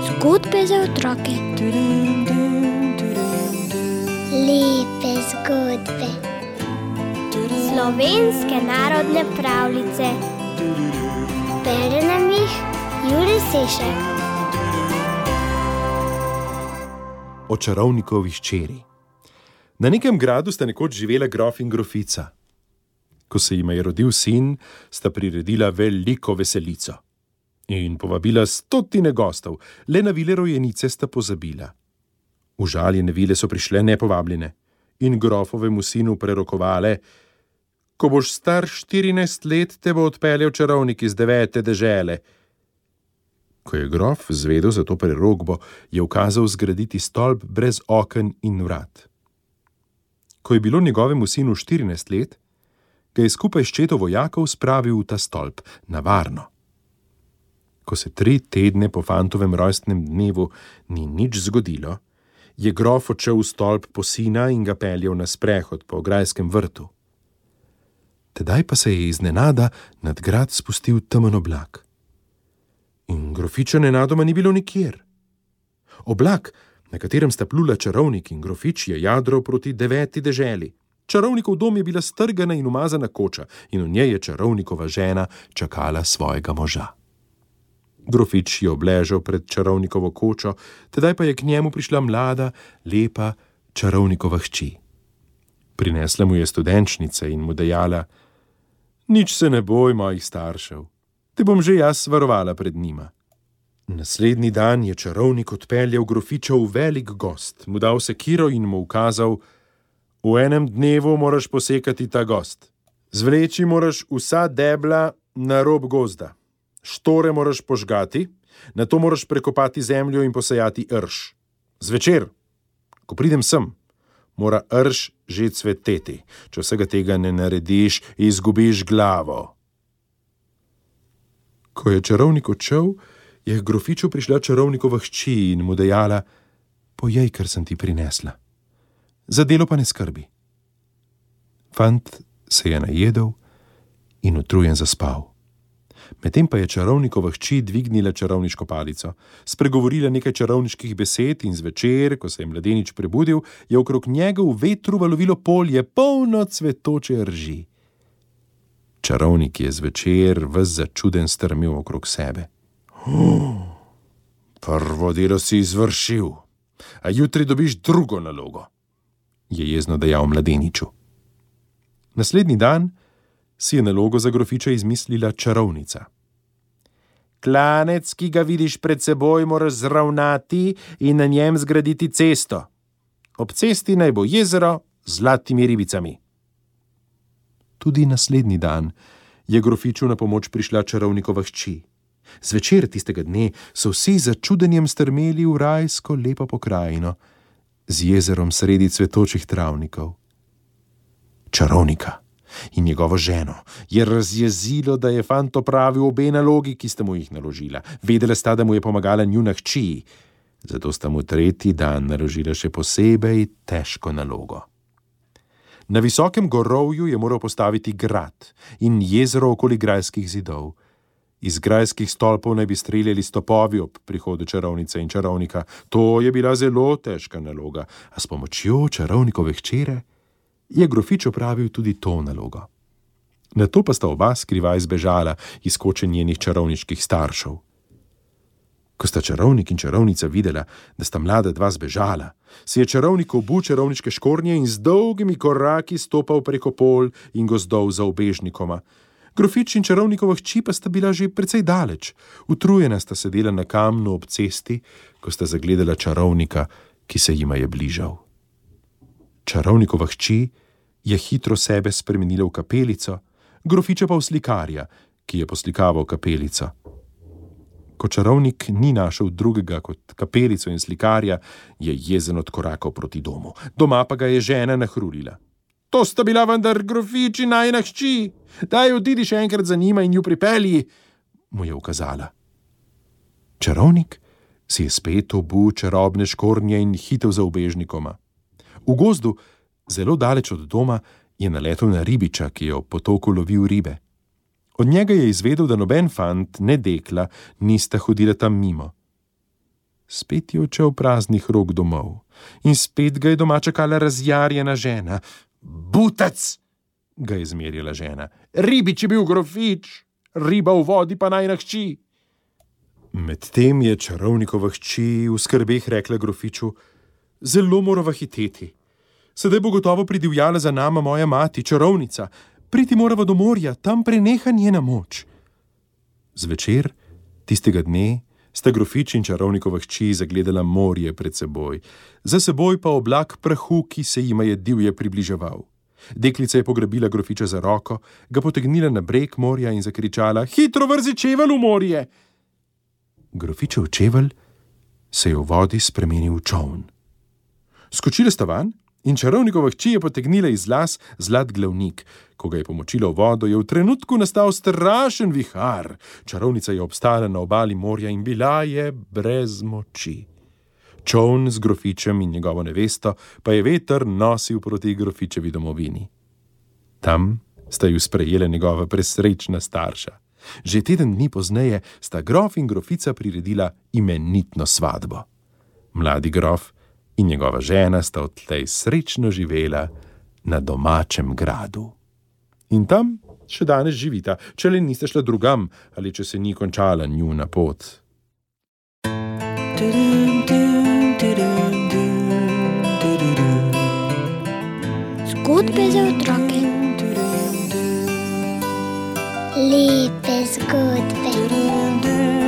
Zgodbe za otroke. Lepe zgodbe. Slovenske narodne pravljice. Bere nam jih Jure Sešek. O čarovnikovi hčeri. Na nekem gradu sta nekoč živela grof in grofica. Ko se jima je rodil sin, sta priredila veliko veselico in povabila 100 gostov, le na vile rojenice sta pozabila. Užaljene vile so prišle nepovabljene in grofovemu sinu prerokovale: ko boš star 14 let, te bo odpeljal čarovnik iz 9. dežele. Ko je grof zvedel za to prerokbo, je ukazal zgraditi stolp brez oken in vrat. Ko je bilo njegovemu sinu 14 let, ga je skupaj s četo vojakov spravil v ta stolp, na varno. Ko se 3 tedne po fantovem rojstnem dnevu ni nič zgodilo, je grof odšel v stolp po sina in ga peljal na sprehod po grajskem vrtu. Tedaj pa se je iznenada nad grad spustil temen oblak. In grofiča nenadoma ni bilo nikjer. Oblak, na katerem sta plula čarovnik in grofič, je jadral proti 9. deželi. Čarovnikov dom je bila strgana in umazana koča in v njej je čarovnikova žena čakala svojega moža. Grofič je obležal pred čarovnikovo kočo, tedaj pa je k njemu prišla mlada, lepa čarovnikova hči. Prinesla mu je studenčnice in mu dejala: nič se ne boj mojih staršev, te bom že jaz varovala pred njima. Naslednji dan je čarovnik odpeljal grofiča v velik gost, mu dal sekiro in mu ukazal: v enem dnevu moraš posekati ta gost. Zvleči moraš vsa debla na rob gozda. Štore moraš požgati, nato moraš prekopati zemljo in posejati rž. Zvečer, ko pridem sem, mora rž že cveteti. Če vsega tega ne narediš, izgubiš glavo. Ko je čarovnik odšel, je k grofiču prišla čarovnikova hči in mu dejala: pojej, kar sem ti prinesla. Za delo pa ne skrbi. Fant se je najedel in utrujen zaspal. Medtem pa je čarovnikova hči dvignila čarovniško palico, spregovorila nekaj čarovniških besed in zvečer, ko se je mladenič prebudil, je okrog njega v vetru valovilo polje, polno cvetoče rži. Čarovnik je zvečer ves začuden strmel okrog sebe. Prvo delo si izvršil, a jutri dobiš drugo nalogo, je jezno dejal mladeniču. Naslednji dan si je nalogo za grofiča izmislila čarovnica. Klanec, ki ga vidiš pred seboj, moraš zravnati in na njem zgraditi cesto. Ob cesti naj bo jezero z zlatimi ribicami. Tudi naslednji dan je grofiču na pomoč prišla čarovnikova hči. Zvečer tistega dne so vsi z začudenjem strmeli v rajsko lepo pokrajino z jezerom sredi cvetočih travnikov. Čarovnika in njegovo ženo je razjezilo, da je fant opravil obe nalogi, ki sta mu jih naložila. Vedela sta, da mu je pomagala njuna hči, zato sta mu 3. dan naložila še posebej težko nalogo. Na visokem gorovju je moral postaviti grad in jezero okoli grajskih zidov. Iz grajskih stolpov naj bi streljali stopovi ob prihodu čarovnice in čarovnika. To je bila zelo težka naloga, a s pomočjo čarovnikove hčere je grofič opravil tudi to nalogo. Nato pa sta oba skrivaj zbežala iz koče njenih čarovniških staršev. Ko sta čarovnik in čarovnica videla, da sta mlada dva zbežala, si je čarovnik obul čarovniške škornje in z dolgimi koraki stopal preko pol in gozdov za ubežnikoma. Grofič in čarovnikova hči pa sta bila že precej daleč. Utrujena sta sedela na kamnu ob cesti, ko sta zagledala čarovnika, ki se jima je bližal. Čarovnikova hči je hitro sebe spremenila v kapelico, grofiča pa v slikarja, ki je poslikaval kapelico. Ko čarovnik ni našel drugega kot kapelico in slikarja, je jezen odkorakal proti domu. Doma pa ga je žena nahrulila. To sta bila vendar grofič in najina hči. Daj, odidi še enkrat za njima in ju pripelji, mu je ukazala. Čarovnik si je spet obul čarobne škornje in hitel za ubežnikoma. V gozdu, zelo daleč od doma, je naletel na ribiča, ki je ob potoku lovil ribe. Od njega je izvedel, da noben fant, ne dekla, nista hodila tam mimo. Spet je odšel praznih rok domov in spet ga je doma čakala razjarjena žena. Butac, ga je zmerjala žena. Ribič je bil grofič, riba v vodi pa najina hči. Medtem je čarovnikova hči v skrbeh rekla grofiču: zelo morava hiteti. Sedaj bo gotovo pridivjala za nama moja mati, čarovnica. Priti morava do morja, tam preneha njena moč. Zvečer tistega dne sta grofič in čarovnikova hči zagledala morje pred seboj, za seboj pa oblak prahu, ki se jima je divje približeval. Deklica je pograbila grofiča za roko, ga potegnila na breg morja in zakričala: hitro vrzi čevelj v morje! Grofičev čevelj se je v vodi spremenil v čoln. Skočila sta van in čarovnikova hči je potegnila iz las zlat glavnik. Ko ga je pomočila v vodo, je v trenutku nastal strašen vihar. Čarovnica je obstala na obali morja in bila je brez moči. Čoln z grofičem in njegovo nevesto pa je veter nosil proti grofičevi domovini. Tam sta ju sprejela njegova presrečna starša. Že teden dni pozneje sta grof in grofica priredila imenitno svadbo. Mladi grof in njegova žena sta odtlej srečno živela na domačem gradu. In tam še danes živita, če le niste šla drugam ali če se ni končala njuna pot. Zgodbe za otroke. Lepe zgodbe.